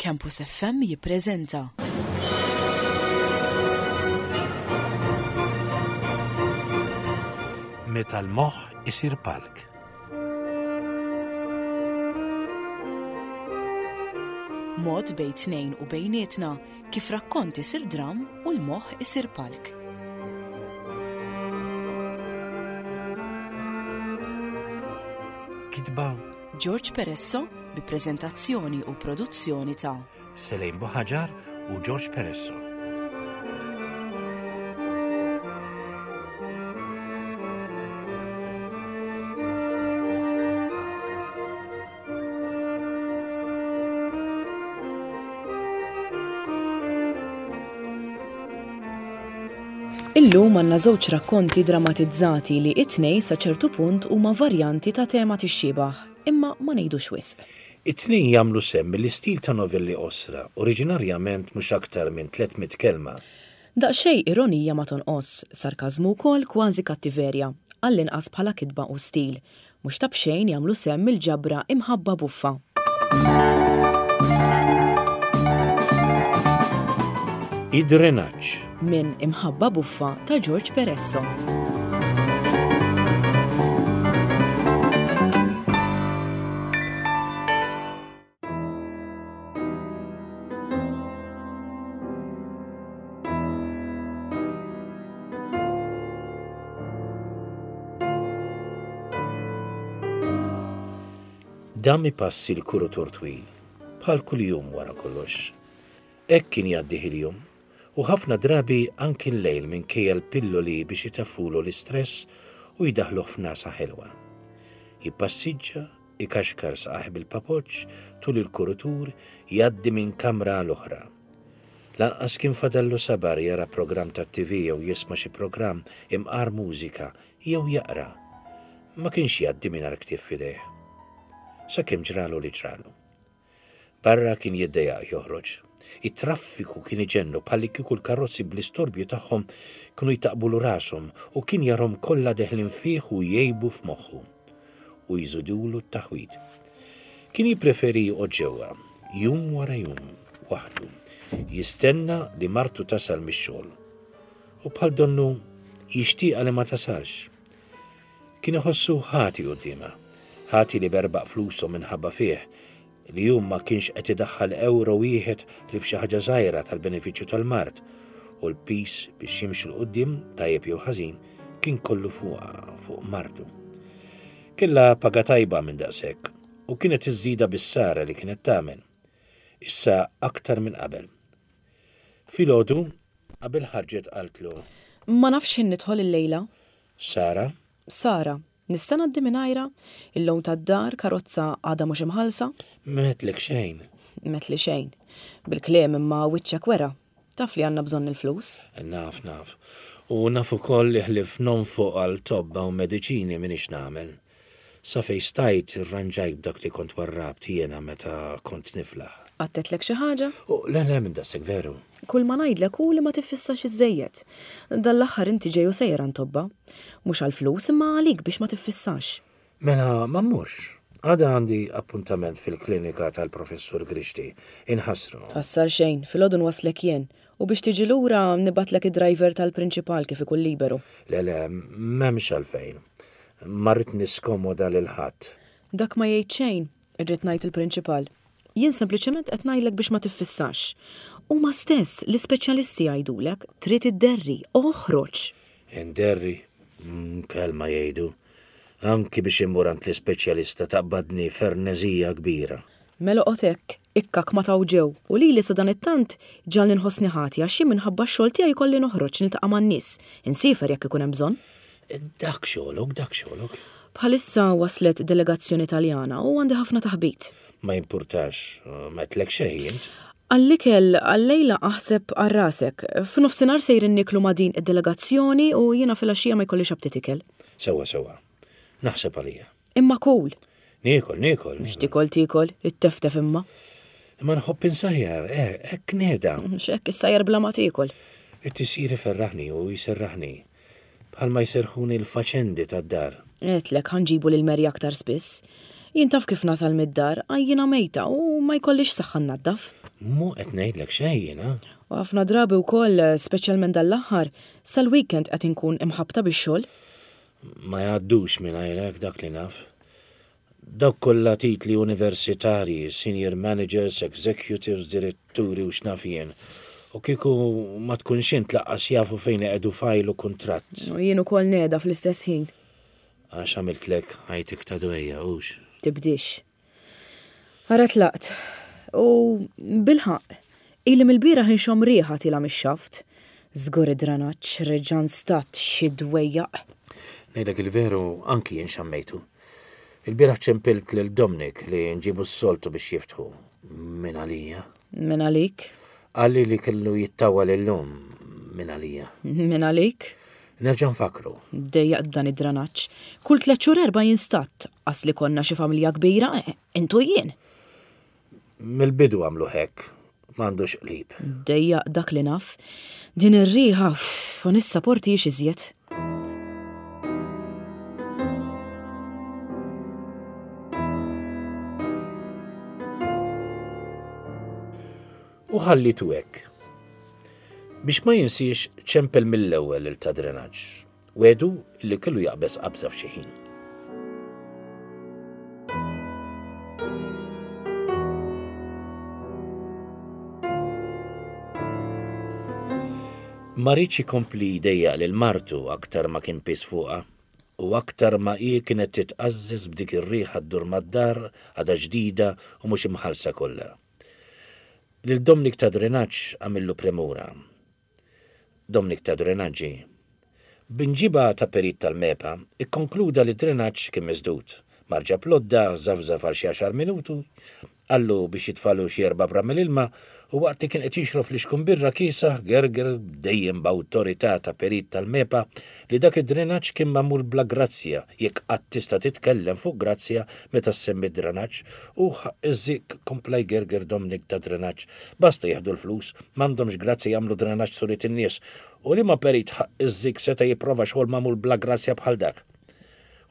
Campus FM jippreżenta. Meta l-moħħ isir palk. Mod bejn tnejn u bejnietna kif rakkont isir dramm u l-moħħ isir palk. Kitba George Peresso bi preżentazzjoni u produzzjoni ta' Selejn Buħaġar u George Peresso. Illum għandna żewġ rakkonti dramatizzati li it-tnej sa ċertu punt huma varjanti ta' tema tixxiebah, imma ma ngħidux wisq. It-tnejn jagħmlu sehem mill-istil ta' novelli qosra, oriġinarjament mhux aktar minn 300 kelma. Daqsxejn ironija ma tonqos, sarkażmu wkoll kważi kattiverja, għall-inqas bħala kitba u stil. Mhux ta' b'xejn jagħmlu sehem mill-ġabra Imħabba Buffa. Id-drenaġġ. Minn Imħabba Buffa ta' George Peresso. Dam ipassi l-kurutur twil, bħal kuljum wara kollox. Hekk kien jgħaddih il-jum, u ħafna drabi anki l-lejl minkejja l-pilloli biex itaffulu l-istress u jdaħħluh f'nagħsa ħelwa. Jippassiġġa, Ikaxkar saqajh bil-papoċċ tul il-kurutur jgħaddi minn kamra għal oħra. Lanqas kien fadallu sabar jara programm tat-TV jew jisma' xi programm imqar mużika jew jaqra. Ma kienx jgħaddi mingħajr ktieb f'idejh. Sakemm ġralu li ġralu. Barra kien jiddejjaq joħroġ. It-traffiku kien iġennu bħallikieku l-karozzi bl-istorbju tagħhom kienu jtaqqbulu rashom u kien jarhom kollha deħlin fih u jgħibu f'moħħu u jżidulu t-taħwid. Kien jippreferi joqgħod ġewwa, jum wara jum, waħdu, jistenna li martu tasal mix-xogħol. U bħal donnu jixtieqha li ma tasalx. Kien iħossu ħati quddiemha, ħati li berbaq flusu minħabba fih, li hu ma kienx qed idaħħal ewro wieħed ħlief xi ħaġa żgħira tal-benefiċċju tal-mard, u l-piż biex jimxu 'l quddiem, tajjeb jew ħażin, kien kollu fuqha, fuq martu. Kellha paga tajba minn daqshekk, u kienet iżżidha bis-sara li kienet tagħmel. Issa aktar minn qabel. Filgħodu, qabel ħarġet qaltlu. Ma nafx x'ħin nidħol illejla. Sara? Sara, Nista' ngħaddi mingħajrha? Il-loan tad-dar, karozza għadha mhux imħallsa? M'għedtlek xejn. M'għedtli xejn. Bil-kliem imma wiċċek wera. Taf li għandna bżonn il-flus. Naf, naf. U naf ukoll li ħlief nonfoq għal tobba u mediċini m'iniex nagħmel. Sa fejn stajt irranġajt b'dak li kont warrabt jiena meta kont niflaħ. Qatt għedtlek xi ħaġa? Le, le, minn daqshekk veru. Kulma ngħidlek hu li ma tiffissax iżżejjed. Dan l-aħħar inti ġej u sejjer għand tobba. Mhux għall-flus imma għalik biex ma tiffissax. Mela ma mmurx. Għada għandi appuntament fil-klinika tal-Professur Grixti. Inħassru. Tħassar xejn, filgħodu nwasslek jien. U biex tiġi lura nibgħatlek id-driver tal-prinċipal kif ikun liberu. Le, le, m'hemmx għalfejn. Ma rrid niskomoda lil ħadd. Dak ma jgħid xejn, irrid ngħid il-prinċipal. Jien sempliċement qed ngħidlek biex ma tiffissax. Huma stess, l-ispeċjalisti jgħidulek, trid idderri, oħroġ! Inderri? Kelma jgħidu. Anki biex immur għand l-ispeċjalista taqbadni ferneżija kbira. Mela oqgħod hekk, ikkak ma taw ġew, u lili sadanittant ġagħalni nħossni ħati għax jien minħabba x-xogħol tiegħi jkolli noħroġ niltaqa' man-nies, insiefer jekk ikun hemm bżonn. Dak xogħlok, dak xogħlok. Bħalissa waslet delegazzjoni Taljana u għandi ħafna taħbit. Ma jimpurtax, m'għedtlek xejn int. Għall-ikel għal-lejla aħseb għal rasek. F'nofsinhar sejrin nieklu ma' din id-delegazzjoni u jiena filgħaxija ma jkollix aptit ikel. Sewwa, sewwa. Naħseb għalija. Imma kul! Niekol, niekol. Mhux tiekol tiekol, itteftef imma. Imma nħobb insajjar, eh, hekk nehda. Mhux hekk issajjar bla ma tiekol. It-tisjir iferraħni u jserraħni. Bħalma jserrħuni l-faċendi tad-dar. Għedtlek ħa nġibu lil Mary aktar spiss. Jien taf kif nasal mid-dar, għajjiena mejta u ma jkollix saħħa nnaddaf. Mhu qed ngħidlek xejn jiena. U ħafna drabi wkoll, speċjalment dan l-aħħar, sal-weekend qed inkun imħabbta bix-xogħol. Ma jgħaddux mingħajrek dak li naf. Dawk kollha titli universitarji, senior managers, executives, diretturi u x'naf jien. U kieku ma tkunx int laqqas jafu fejn iqegħdu fajl u kuntratt. U jien ukoll ngħeda fl-istess ħin. Għax għamiltlek ħajtek ta' dwejjaq, hux? Tibdiex. Ara tlaqt. U bilħaqq, ili mill-bieraħ inxomm riħa tielgħa mix-xaft. Żgur id-dranaġġ reġa' nstadt xi dwejjaq. Ngħidlek il-veru, anki jien xammejtu. Il-bieraħ ċempilt lil Dominic li nġibu s-soltu biex jiftħu. Min għalija. Min għalik? Qalli li kellu jittawwal illum. Min għalija. Min għalik? Nerġa' nfakkru. Dejjaqt b'dan id-dranaġġ. Kull tlett xhur erbgħa jinstadd. Qas li konna xi familja kbira, int u jien. Mill-bidu għamluh hekk. M'għandux qlib. Dejjaq dak li naf. Din ir-riħa, uff, ma nissaportihiex iżjed. U ħallitu hekk. Biex ma jinsiex ċempel mill-ewwel lil ta' drenaġġ. Wegħdu li kellu jaqbeż qabża f'xi ħin. Ma riedx ikompli jdejjaq lil martu aktar ma kien piż fuqha u aktar ma hi kienet titqażżeż b'dik ir-riħa ddur mad-dar għadha ġdida u mhux imħallsa kollha. Lil Dominic ta' drenaġġ għamillu premura. Dominic ta' drenaġġi. B'imġiba ta' perit tal-MEPA, ikkonkluda li d-drenaġġ kien misdud. Mar ġab l-għodda, żafżaf għal xi għaxar minutu, qallu biex jitfagħlu xi erba' bramel ilma u waqt li kien qed jixrob flixkun birra kiesaħ gerger dejjem b'awtorità ta' perit tal-MEPA li dak id-drenaġġ kien magħmul bla grazzja, jekk qatt tista' titkellem fuq grazzja meta ssemmi d-drenaġġ, u ħaqq iż-żikk kompla jgerger Dominic ta' drenaġġ. Basta jieħdu l-flus, m'għandhomx grazzja jagħmlu drenaġġ suriet in-nies. U liema perit ħaqq iż-żikk seta' jipprova xogħol magħmul bla grazzja bħal dak?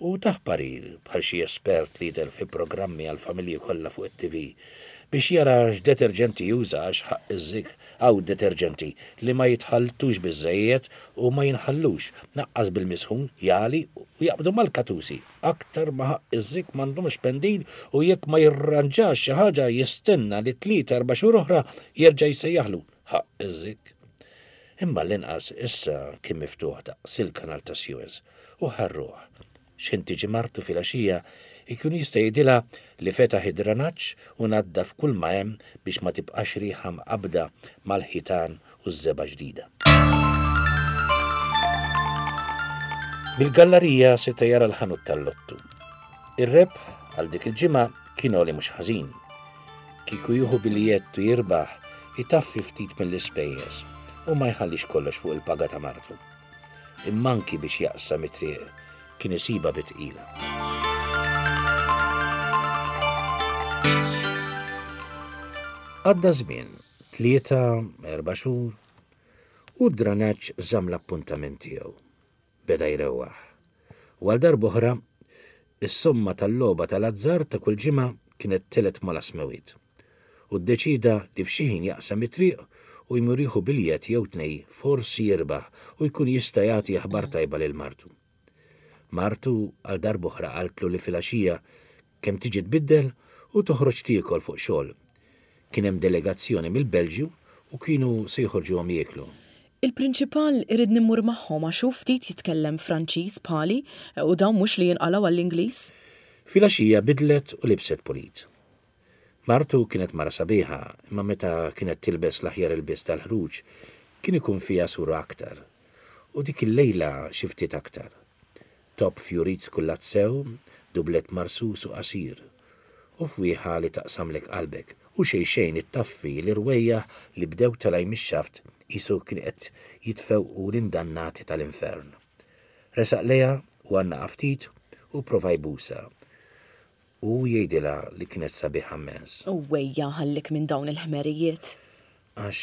U tah parir, bħal xi espert li jidher fi programmi għall-familji kollha fuq it-TV, biex jara x'deterġenti juża għax ħaqq iż-żikk hawn deterġenti li ma jitħalltux biżżejjed u ma jinħallux, naqqas bil-misħun, jagħli u jaqbdu mal-katusi. Aktar ma ħaqq iż-żikk m'għandhomx pendil u jekk ma jirranġax xi ħaġa jistenna li tlieta erba' xhur oħra jerġa' jsejjaħlu. Ħaqq iż-żikk. Imma l-inqas issa kien miftuħ daqs il-kanal ta' Suez u ħarruh. X'ħin tiġi martu filgħaxija jkun jista' jgħidilha li fetaħ id-dranaġġ u naddaf kulma hemm biex ma tibqax riħa mqabbda mal-ħitan u ż-żebgħa ġdida. Mill-gallarija seta' jara l-ħanut tal-lottu. Ir-rebħ għal dik il-ġimgħa kien għoli mhux ħażin. Kieku jieħu biljett u jirbaħ, itaffi ftit mill-ispejjeż u ma jħallix kollox fuq il-paga ta' martu. Imma anki biex jaqsam it-triq kien isibha bi tqila. Għadda żmien, tlieta, erba' xhur, u d-dranaġġ żamm l-appuntament tiegħu. Beda jrewwaħ. U għal darb'oħra, is-somma tal-logħba tal-azzard ta' kull ġimgħa kienet telgħet mal-asmewiet. U ddeċieda li f'xi ħin jaqsam it-triq u jmur jieħu biljett jew tnej forsi jirbaħ u jkun jista' jagħti aħbar tajba lil martu. Martu għal darb'oħra qaltlu li filgħaxija kemm tiġi tbiddel u toħroġ tiekol fuq xogħol. Kien hemm delegazzjoni mill-Belġju u kienu se joħorġuhom jieklu. Il-prinċipal iridni mmur magħhom għax hu ftit jitkellem Franċiż bħali u dawn mhux li jinqalgħu għall-Ingliż. Filgħaxija bidlet u libset pulit. Martu kienet mara sabiħa imma meta kienet tilbes l-aħjar ilbies tal-ħruġ kien ikun fiha sura aktar. U dik il-lejla xi ftit aktar. Top fjurit skullat sew, dublett marsus u qasir. U fwieħa li taqsamlek qalbek, u xejn xejn ittaffi l-irwejjaħ li bdew telgħin mix-xaft qisu kien qed jitfewqu l-indannati tal-infern. Resaq lejha u għannaqha ftit u pprova jbusha. U jgħidilha li kienet sabiħa mmens. U ejja ħallik minn dawn il-ħmerijiet. Għax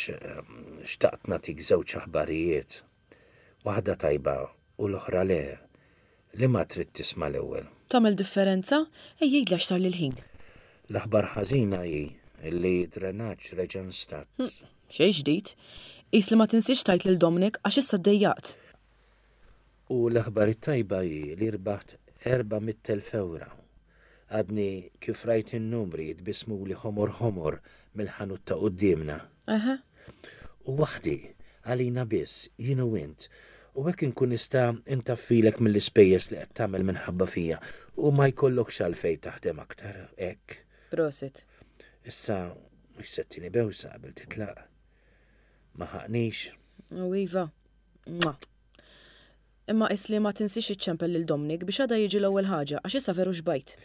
xtaqt nagħtik żewġ aħbarijiet. Waħda tajba u l-oħra le. Liema trid tisma' l-ewwel? Tagħmel differenza? Ejja għidli għax sarli l-ħin. L-aħbar ħażina hi li d-drenaġġ reġa' nstadd. Xejn ġdid. Qis li ma tinsiex tgħid lil Dominic għax issa ddejjaqt. U l-aħbar it-tajba hi li rbaħt 400,000 ewro. Għadni kif rajt in-numri jitbissmuli ħomor ħomor mill-ħanut ta' quddiemna. Eħe. U waħdi, għalina biss, jien u int. U hekk inkun nista' ntaffilek mill-ispejjeż li qed tagħmel minħabba fija u ma jkollokx għalfejn taħdem aktar hekk. Prosit. Issa mhux se ttini bewsa qabel titlaq. Ma ħaqnix. U iva. Mwah. Imma qis li ma tinsiex iċċempel lil Dominic biex għada jiġi l-ewwel ħaġa għax issa veru xbajt.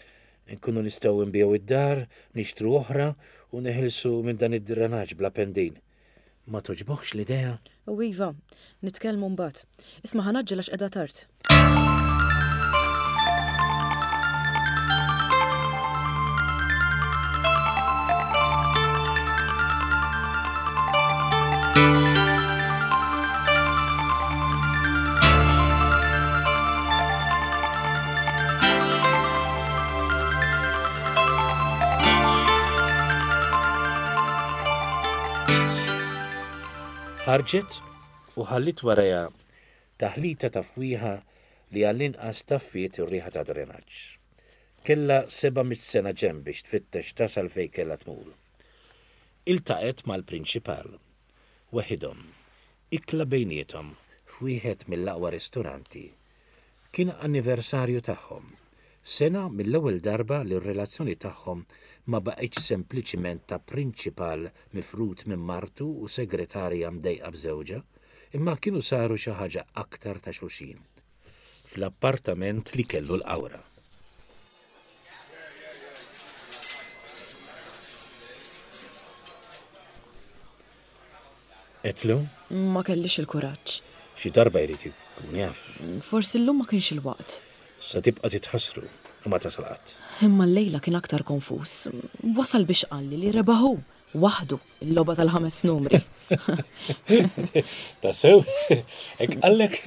Inkunu nistgħu nbigħu id-dar, nixtru oħra u neħilsu minn dan id-drenaġġ bla pendin. Ma togħġbokx l-idea? U iva, nitkellmu mbagħad. Isma' ħa ngħaġġel għax qiegħda tard. Ħarġet u ħalliet warajha taħlita ta' fwieħa li għall-inqas taffiet ir-riħa ta' drenaġġ. Kellha 700 sena ġenb biex tfittex tasal fejn kellha tmur. Iltaqgħet mal-prinċipal, weħidhom, ikla bejniethom f'wieħed mill-aqwa ristoranti. Kien anniversarju tagħhom. Sena mill-ewwel darba li r-relazzjoni tagħhom ma baqgħetx sempliċiment ta' prinċipal mifrud minn martu u segretarja mdejqa b'żewġha, imma kienu saru xi ħaġa aktar ta' xulxin. Fl-appartament li kellu l-Qawra. Għedtlu? Ma kellix il-kuraġġ. Xi darba jrid ikun jaf. Forsi llum ma kienx il-waqt. Sa tibqa' titħassru u ma tasal qatt. Imma llejla kien aktar konfuż. Wasal biex qalli li rebaħ hu. Waħdu, il-logħba tal-ħames numri. Tassew? Hekk qallek?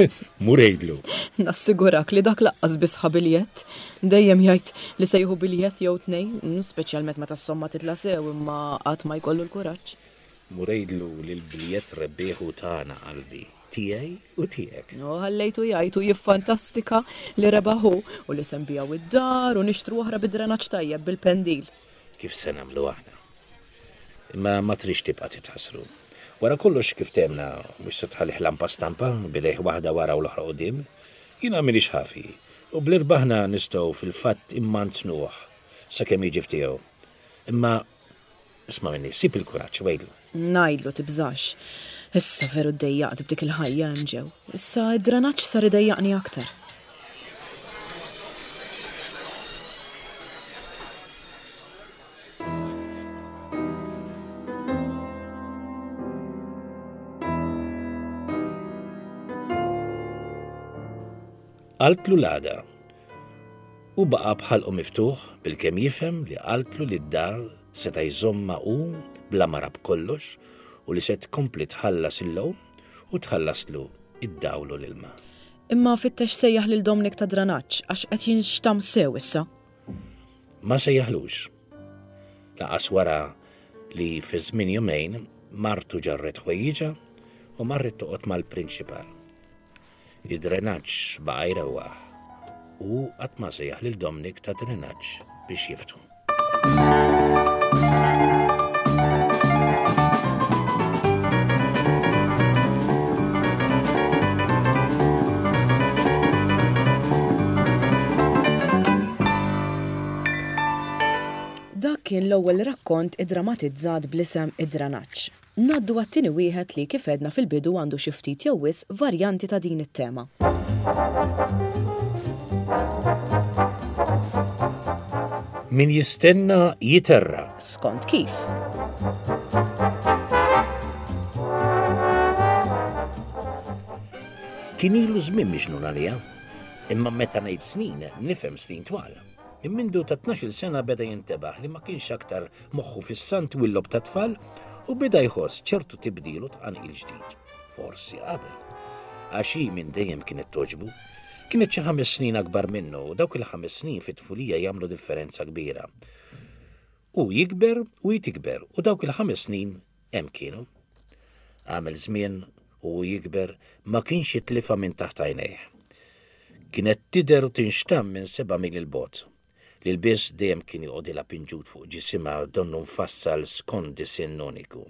Mur għidlu. Nassigurak li dak laqqas biss ħa biljett. Dejjem jgħid li se jieħu biljett jew tnejn, speċjalment meta s-somma titla' sew imma qatt ma jkollu l-kuraġġ. Mur għidlu li l-biljett rebbieħ hu tagħna qalbi, tiegħi u tiegħek. U ħallejtu jgħid u jiffantastika li rebaħ hu u li se nbigħu id-dar u nixtru oħra bi drenaġġ tajjeb bil-pendil. Kif se nagħmlu aħna. Imma ma tridx tibqa' titħassru. Wara kollox kif temna mhux se tħallih lampa stampa b'idejh waħda wara u l-oħra quddiem. Jiena m'iniex ħafi u b'li rbaħna nistgħu fil-fatt immantnuh sakemm jiġi f'tiegħu. Imma isma' minni, sib il-kuraġġ u għidlu. Ngħidlu tibżax. Issa veru ddejjaqt b'dik il-ħajja hemm ġew. Issa d-drenaġġ sar idejjaqni aktar. Qaltlu l-għada. Hu baqa' b'ħalqu miftuħ bilkemm jifhem li qaltlu li d-dar seta' jżommha hu bla mara b'kollox u li se tkompli tħallas il-loan u tħallaslu id-dawl u l-ilma. Imma fittex sejjaħ lil Dominic ta' Dranaġġ għax qed jinxtamm sew issa. Ma sejjaħlux. Laqas wara li fi żmien jumejn martu ġarret ħwejjiġha u marret toqgħod mal-prinċipal. Id-drenaġġ baqa' jrewwaħ u hu qatt ma sejjaħ lil Dominic ta' drenaġġ biex jiftħu. Dak kien l-ewwel rakkont iddramatizzat bl-isem Id-Dranaġġ. Ngħaddu għat-tieni wieħed li, kif għedna fil-bidu għandu xi ftit jew wisq varjanti ta' din it-tema. Min jistenna jiterra. Skont kif. Kien ilu żmien miġnun għaliha. Imma meta ngħid snin, nifhem snin twal. Minn mindu ta' tnax-il sena beda jintebaħ li ma kienx aktar moħħu fis-sant u l-logħob tat-tfal u beda jħoss ċertu tibdil u tqanqil ġdid. Forsi qabel. Għax hi minn dejjem kienet togħġbu. Kienet xi ħames snin akbar minnu u dawk il-ħames snin fit-tfulija jagħmlu differenza kbira. Hu jikber u hi tikber u dawk il-ħames snin hemm kienu. Għamel żmien u hu jikber ma kienx jitlifha minn taħt għajnejh. Kienet tidher u tinxtamm minn seba' mil 'il bogħod. L-ilbies dejjem kien joqgħodilha pinġut fuq ġisimha donnu mfassal skont disinn uniku.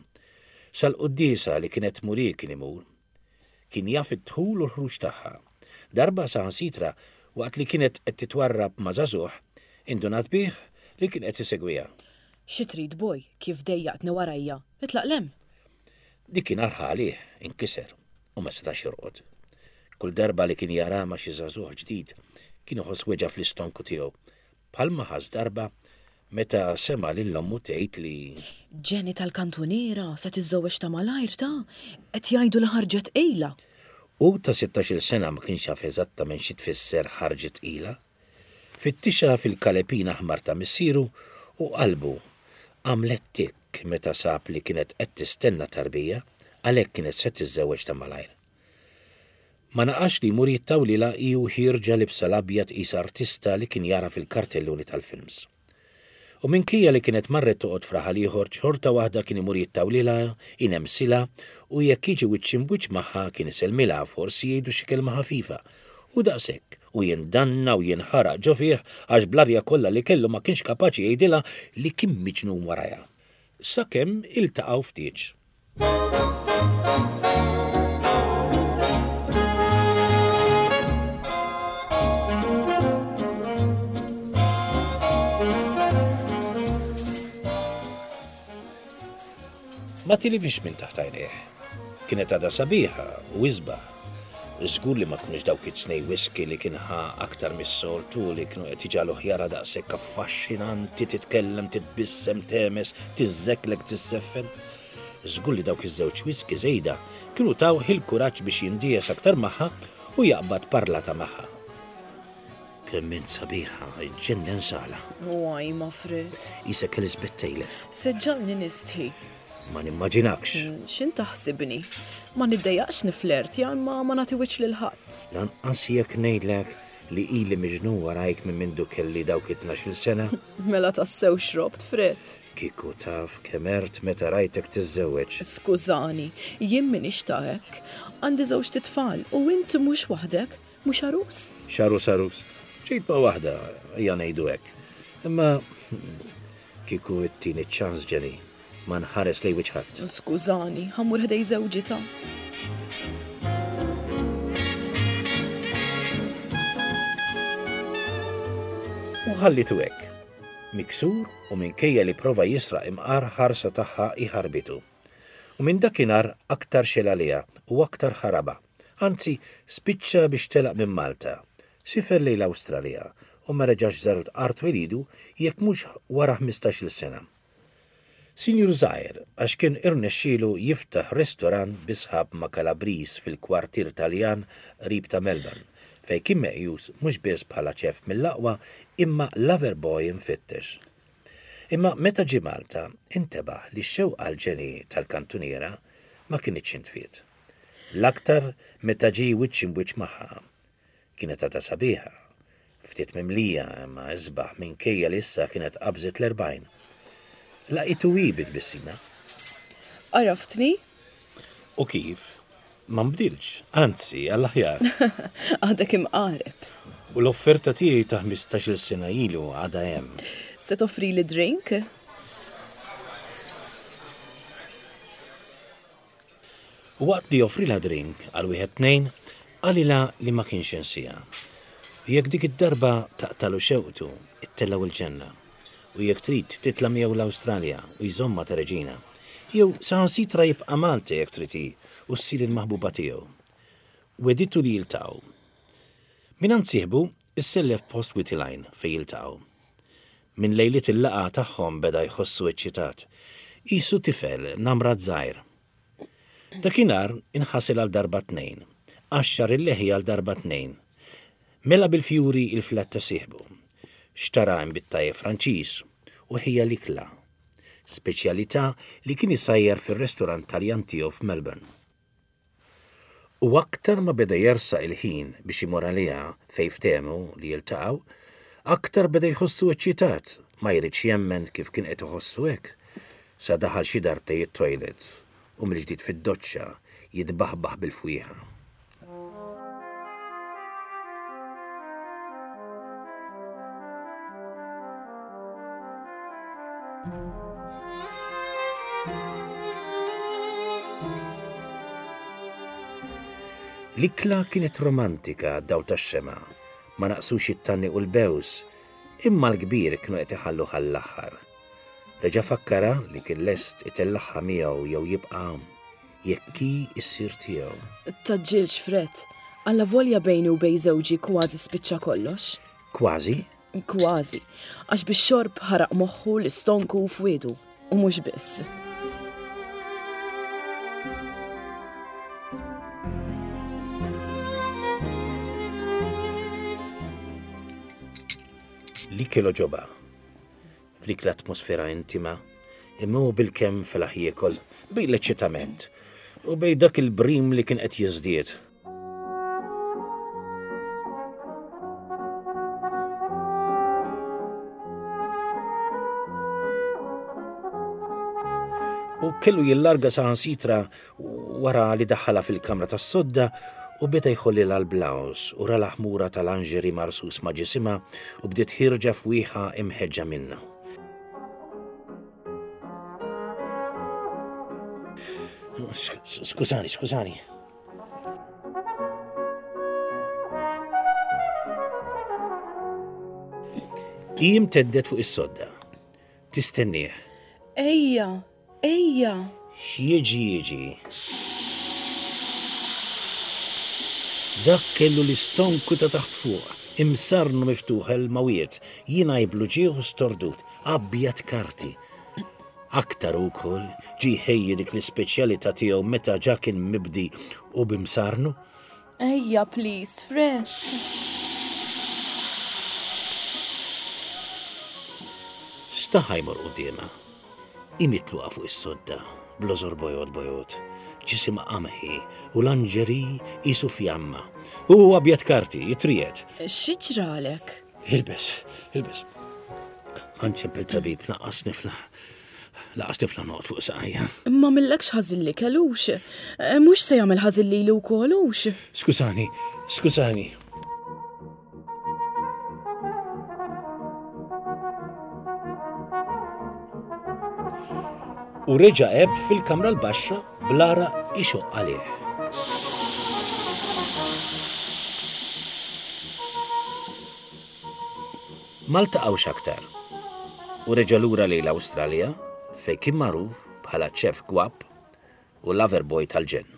Sal-quddiesa li kienet tmur hi kien imur. Kien jaf id-dħul u l-ħruġ tagħha. Darba saħansitra waqt li kienet qed titwarrab ma' żagħżugħ, indunat bih li kien qed isegwiha. Xi trid boy, kif dejjaqtni warajja, itlaq 'l hemm! Dik kien arħa għalih, inkiser u ma setax jorqod. Kull darba li kien jara ma' xi żagħżugħ ġdid, kien iħoss weġgħa fl-istonku tiegħu, bħalma ħass darba meta sema' lil ommu tgħid li. Jenny tal-kantuniera se tiżżewweġ ta' malajr ta', qed jgħidu li ħarġet tqila. Hu ta' sittax-il sena ma kienx jaf eżattament xi tfisser ħarġet tqila. Fittixha fil-kalepin aħmar ta' missieru u qalbu għamlet tikk meta sab li kienet qed tistenna tarbija, għalhekk kienet se tiżżewweġ ta' malajr. Ma naqasx li jmur jittawlilha hi u ħierġa libsa l-abjad qisha artista li kien jara fil-kartelluni tal-films. U minkejja li kienet marret toqgħod f'raħal ieħor, xorta waħda kien imur jittawlilha, inemsilha u jekk jiġi wiċċ imb'wiċċ magħha kien isellmilha, forsi jgħidu xi kelma ħafifa. U daqshekk, u jindanna u jinħaraq ġo fih għax bl-arja kollha li kellu ma kienx kapaċi jgħidilha li kien miġnun warajha. Sakemm iltaqgħu f'tieġ. Ma tilifx minn taħt għajnejh. Kienet għadha sabiħa u isbaħ. Żgur li ma kinux dawk it-tnej whisky li kien ħa aktar mis-soltu li kienu qed iġagħluh jara daqshekk affaxxinanti, titkellem, titbissem, tehmes, tiżżeklek, tisseffen. Żgur li dawk iż-żewġ whisky żejda kienu tawh il-kuraġġ biex jindies aktar magħha u jaqbad parlata magħha. Kemm int sabiħa, iġġennen sala. Waj, ma Fred. Isek Elizabeth Taylor. Se ġġagħalni nistħi. Ma nimmaġinakx. X'int taħsibni? Ma niddejjaqx niflertja imma ma nagħti wiċċ lil ħadd. Lanqas jekk ngħidlek li ili miġnun warajk minn mindu kelli dawk it-tnax-il sena. Mela tassew xrobt, Fred. Kieku taf kemm għert meta rajtek tiżżewweġ. Skużani, jien m'iniex ta' hekk. Għandi żewġt itfal u int mhux waħdek, mhux għarus? X'għarus għarus? Ġejt ma' waħda, ejja ngħidu hekk. Imma kieku ttini ċ-ċans, Jenny, Ma nħares lejn wiċċ ħadd. Skużani, ħa mmur ħdej żewġi ta'. U ħallitu hekk. Miksur u minkejja li prova jisraq imqar ħarsa tagħha hi ħarbitu. U minn dakinhar aktar xegħel għaliha u aktar ħarabha. Anzi, spiċċa biex telaq minn Malta. Sifer lejn l-Awstralja u ma reġax żar art twelidu jekk mhux wara ħmistax-il sena. Sinjur żgħir għax kien irnexxielu jiftaħ restorant bi sħab ma' Calabriż fil-kwartier Taljan qrib ta' Melbourne, fejn kien meqjus mhux biss bħala chef mill-aqwa imma lover boy imfittex. Imma meta ġie Malta intebaħ li x-xewqa għal Jenny tal-kantuniera ma kinitx intfiet. L-aktar meta ġie wiċċ imb'wiċċ magħha. Kienet għadha sabiħa, ftit mimlija imma isbaħ minkejja li issa kienet qabżet l-40. Laqitu hi bi tbissima. Għaraftni? U kif? Ma nbdiltx, anzi, għall-aħjar. Għadek imqareb. U l-offerta tiegħi ta' ħmistax-il sena ilu għadha hemm. Se toffrili drink? U waqt li offrilha drink għal wieħed tnejn, qalilha li ma kienx insieha. U jekk dik id-darba taqtagħlu xewqtu, ittellgħu l-ġenna. U jekk trid titla' miegħu l-Awstralja u jżommha ta' reġina. Jew saħansitra jibqa' Malta jekk trid hi u ssir il-maħbuba tiegħu. Wegħditu li jiltaqgħu. Mingħand sieħbu issellef post Wied il-Għajn fejn jiltaqgħu. Minn lejliet il-laqgħa tagħhom beda jħossu eċċitat. Qisu tifel namrat żgħir. Dakinhar inħasel għal darba tnejn. Qaxxar il-leħja għal darba tnejn. Mela bil-fjuri il-flat ta' sieħbu. Xtara inbid tajjeb Franċiż u ħejja l-ikla. Speċjalità li kien isajjar fir-restorant Taljan tiegħu f'Melbourne. U aktar ma beda jersaq il-ħin biex imur għaliha fejn ftehmu li jiltaqgħu, aktar beda jħossu eċċitat, ma jridx jemmen kif kien qed iħossu hekk, sa daħal xi darbtejn it-toilet u mill-ġdid fid-doċċa jitbaħbaħ bil-fwieħa. L-ikla kienet romantika għad-dawl tax-xemgħa, ma naqsux it-tgħanniq u l-bews, imma l-kbir kienu qed iħalluh għall-aħħar. Reġa' fakkarha li kien lest itellagħha miegħu jew jibqa' hawn, jekk hi ssir tiegħu. Tgħaġġilx, Fred. Allavolja bejni u bejn żewġi kważi spiċċa kollox. Kważi? Kważi. Għax bix-xorb ħaraq moħħu, l-istonku u fwiedu. U mhux biss. L-ikel għoġobha. F'dik l-atmosfera intima, imma hu bilkemm felaħ jiekol, bejn l-eċċitament u bejn dak il-brim li kien qed jiżdied. U kellu jillarga saħansitra wara li daħħalha fil-kamra tas-sodda u beda jħollilha l-blouse u ra l-aħmura ta' lingerie marsus ma' ġisimha u bdiet ħierġa fwieħa imħeġġa minnha. Skużani, skużani. Hi imteddet fuq is-sodda. Tistennieh. Ejja, ejja! X'jiġi jiġi. Dak kellu l-istonku ta' taħt fuq, imsarnu miftuħ il-mawiet, jingħi bl-uġigħ u stordut, abjad karti. Aktar hu wkoll ġie jħejji dik l-ispeċjalità tiegħu meta ġa kien mibdi u b'imsarnu. Ejja please, Fred. Staħa jmur quddiemha. Hi mitluqa fuq is-sodda, bl-għożor bojod bojod, ġisimha qamħi u lingerie qisu fjamma. U hu abjad karti, jitriegħed. Xi ġralek? Ilbes, ilbes. Ħa nċempel tabib, naqqas nifla. Laqas tifla noqgħod fuq saqajja. Ma millekx ħażin li kellux. Eh, mhux se jagħmel ħażin lili wkoll hux. Skużani, skużani. U reġa' eb fil-kamra l-baxxa bl-għaraq ixoqq għalih. Ma ltaqgħux aktar u reġa' lura lejn l-Awstralja fejn kien magħruf bħala chef gwapp u lover boy tal-ġenn.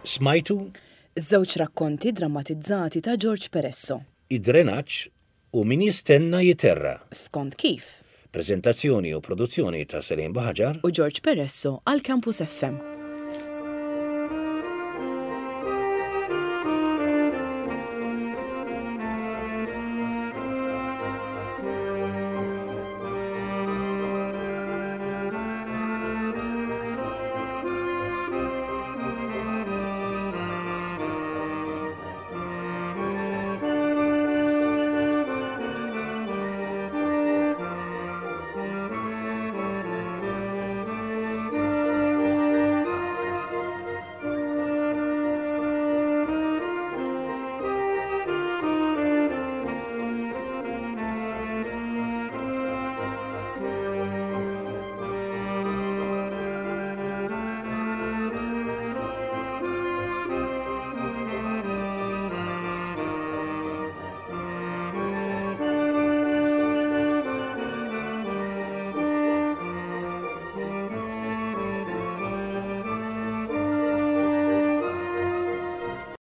Smajtu? Żewġ rakkonti drammatizzati ta' George Peresso. Id-drenaġġ u Min jistenna jiterra'. Skont kif? Preżentazzjoni u produzzjoni ta' Celine Buhagiar. U George Peresso għal Campus FM.